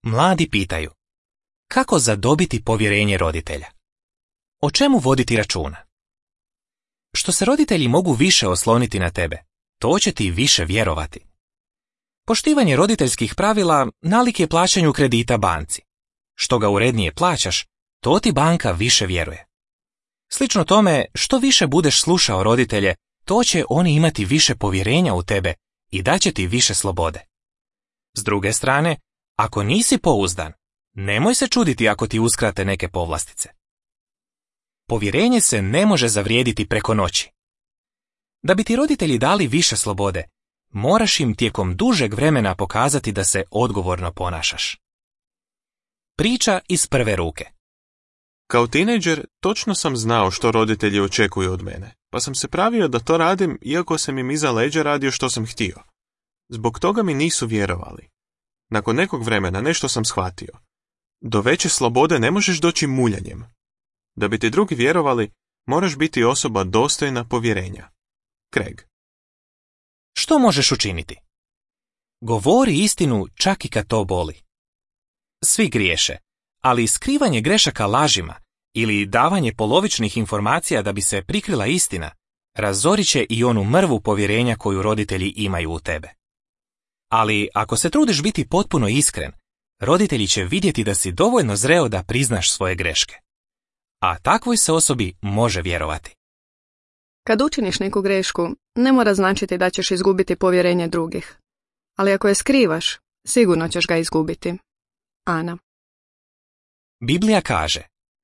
Mladi pitaju: kako zadobiti povjerenje roditelja? O čemu voditi računa? Što se roditelji mogu više osloniti na tebe, to će ti više vjerovati. Poštivanje roditeljskih pravila nalik je plaćanju kredita banci. Što ga urednije plaćaš, to ti banka više vjeruje. Slično tome, što više budeš slušao roditelje, to će oni imati više povjerenja u tebe i daće ti više slobode. S druge strane, ako nisi pouzdan, nemoj se čuditi ako ti uskrate neke povlastice. Povjerenje se ne može zavrijediti preko noći. Da bi ti roditelji dali više slobode, moraš im tijekom dužeg vremena pokazati da se odgovorno ponašaš. Priča iz prve ruke. Kao tinejdžer točno sam znao što roditelji očekuju od mene, pa sam se pravio da to radim iako sam im iza leđa radio što sam htio. Zbog toga mi nisu vjerovali. Nakon nekog vremena nešto sam shvatio. Do veće slobode ne možeš doći muljanjem. Da bi ti drugi vjerovali, moraš biti osoba dostojna povjerenja. Craig. Što možeš učiniti? Govori istinu čak i kad to boli. Svi griješe, ali skrivanje grešaka lažima ili davanje polovičnih informacija da bi se prikrila istina razorit će i onu mrvu povjerenja koju roditelji imaju u tebe. Ali ako se trudiš biti potpuno iskren, roditelji će vidjeti da si dovoljno zreo da priznaš svoje greške. A takvoj se osobi može vjerovati. Kad učiniš neku grešku, ne mora značiti da ćeš izgubiti povjerenje drugih. Ali ako je skrivaš, sigurno ćeš ga izgubiti. Ana. Biblija kaže: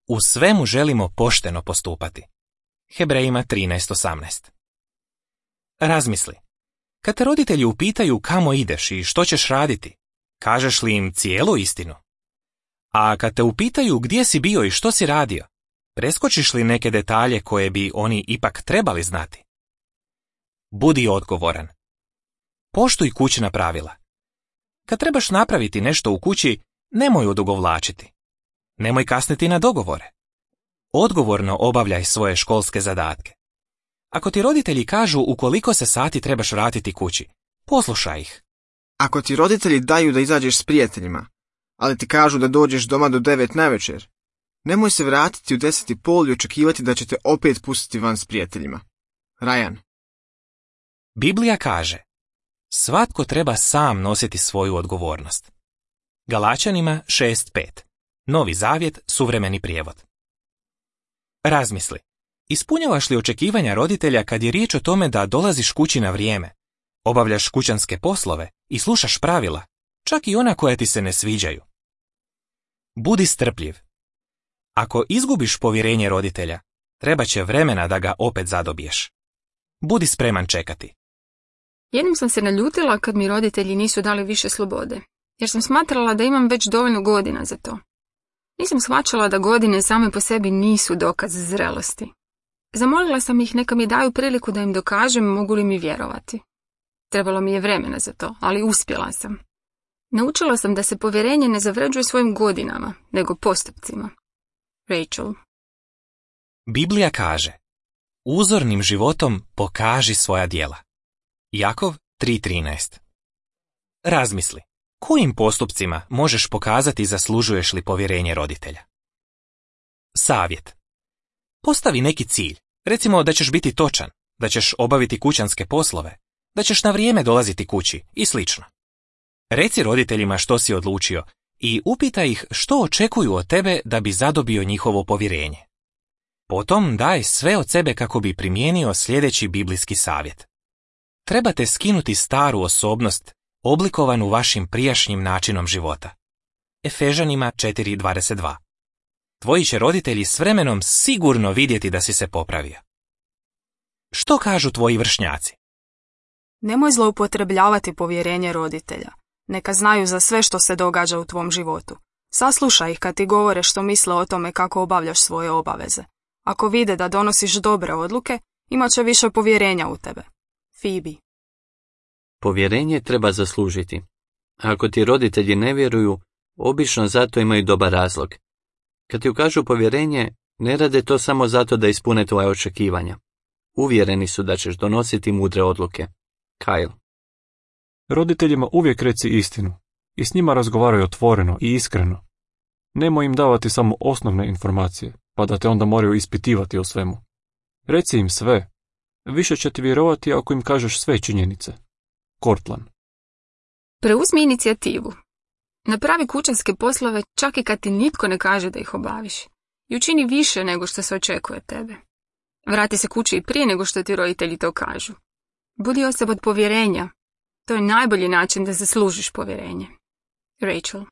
u svemu želimo pošteno postupati. Hebrejima 13:18. Razmisli. Kad te roditelji upitaju kamo ideš i što ćeš raditi, kažeš li im cijelu istinu? A kad te upitaju gdje si bio i što si radio, preskočiš li neke detalje koje bi oni ipak trebali znati? Budi odgovoran. Poštuj kućna pravila. Kad trebaš napraviti nešto u kući, nemoj odugovlačiti. Nemoj kasniti na dogovore. Odgovorno obavljaj svoje školske zadatke. Ako ti roditelji kažu u koliko se sati trebaš vratiti kući, poslušaj ih. Ako ti roditelji daju da izađeš s prijateljima, ali ti kažu da dođeš doma do 9 navečer, nemoj se vratiti u 10:30 i očekivati da će te opet pustiti van s prijateljima. Ryan. Biblija kaže: svatko treba sam nositi svoju odgovornost. Galačanima 6:5. Novi zavjet, suvremeni prijevod. Razmisli. Ispunjavaš li očekivanja roditelja kad je riječ o tome da dolaziš kući na vrijeme, obavljaš kućanske poslove i slušaš pravila, čak i ona koja ti se ne sviđaju? Budi strpljiv. Ako izgubiš povjerenje roditelja, treba će vremena da ga opet zadobiješ. Budi spreman čekati. Jednom sam se naljutila kad mi roditelji nisu dali više slobode, jer sam smatrala da imam već dovoljno godina za to. Nisam shvaćala da godine same po sebi nisu dokaz zrelosti. Zamolila sam ih neka mi daju priliku da im dokažem mogu li mi vjerovati. Trebalo mi je vremena za to, ali uspjela sam. Naučila sam da se povjerenje ne zavređuje svojim godinama, nego postupcima. Rachel. Biblija kaže: uzornim životom pokaži svoja djela. Jakov 3:13. Razmisli. Kojim postupcima možeš pokazati zaslužuješ li povjerenje roditelja? Savjet. Postavi neki cilj. Recimo da ćeš biti točan, da ćeš obaviti kućanske poslove, da ćeš na vrijeme dolaziti kući i slično. Reci roditeljima što si odlučio i upitaj ih što očekuju od tebe da bi zadobio njihovo povjerenje. Potom daj sve od sebe kako bi primijenio sljedeći biblijski savjet. Trebate skinuti staru osobnost oblikovanu vašim prijašnjim načinom života. Efežanima 4:22. Tvoji će roditelji s vremenom sigurno vidjeti da si se popravio. Što kažu tvoji vršnjaci? Nemoj zloupotrebljavati povjerenje roditelja. Neka znaju za sve što se događa u tvom životu. Saslušaj ih kad ti govore što misle o tome kako obavljaš svoje obaveze. Ako vide da donosiš dobre odluke, imat će više povjerenja u tebe. Phoebe. Povjerenje treba zaslužiti. A ako ti roditelji ne vjeruju, obično zato imaju dobar razlog. Kad ti ukažu povjerenje, ne rade to samo zato da ispune tvoje očekivanja. Uvjereni su da ćeš donositi mudre odluke. Kyle. Roditeljima uvijek reci istinu. i s njima razgovaraj otvoreno i iskreno. Nemoj im davati samo osnovne informacije, pa da te onda moraju ispitivati o svemu. Reci im sve. Više će ti vjerovati ako im kažeš sve činjenice. Cortland. Preuzmi inicijativu. Napravi kućanske poslove čak i kad ti nitko ne kaže da ih obaviš. I učini više nego što se očekuje od tebe. Vrati se kući i prije nego što ti roditelji to kažu. Budi osoba od povjerenja. To je najbolji način da zaslužiš povjerenje. Rachel.